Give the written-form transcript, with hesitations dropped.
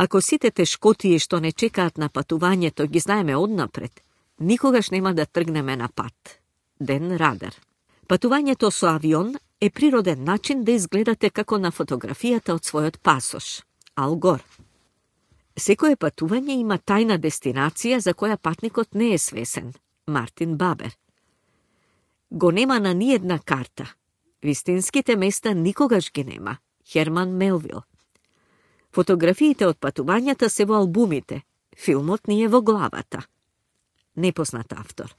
Ако сите тешкотии што не чекаат на патувањето ги знаеме однапред, никогаш нема да тргнеме на пат. Ден Радар. Патувањето со авион е природен начин да изгледате како на фотографијата од својот пасош. Ал Гор. Секое патување има тајна дестинација за која патникот не е свесен. Мартин Бабер. Го нема на ниедна карта. Вистинските места никогаш ги нема. Херман Мелвил. Фотографиите од патувањата се во албумите. Филмот ни е во главата. Непознат автор.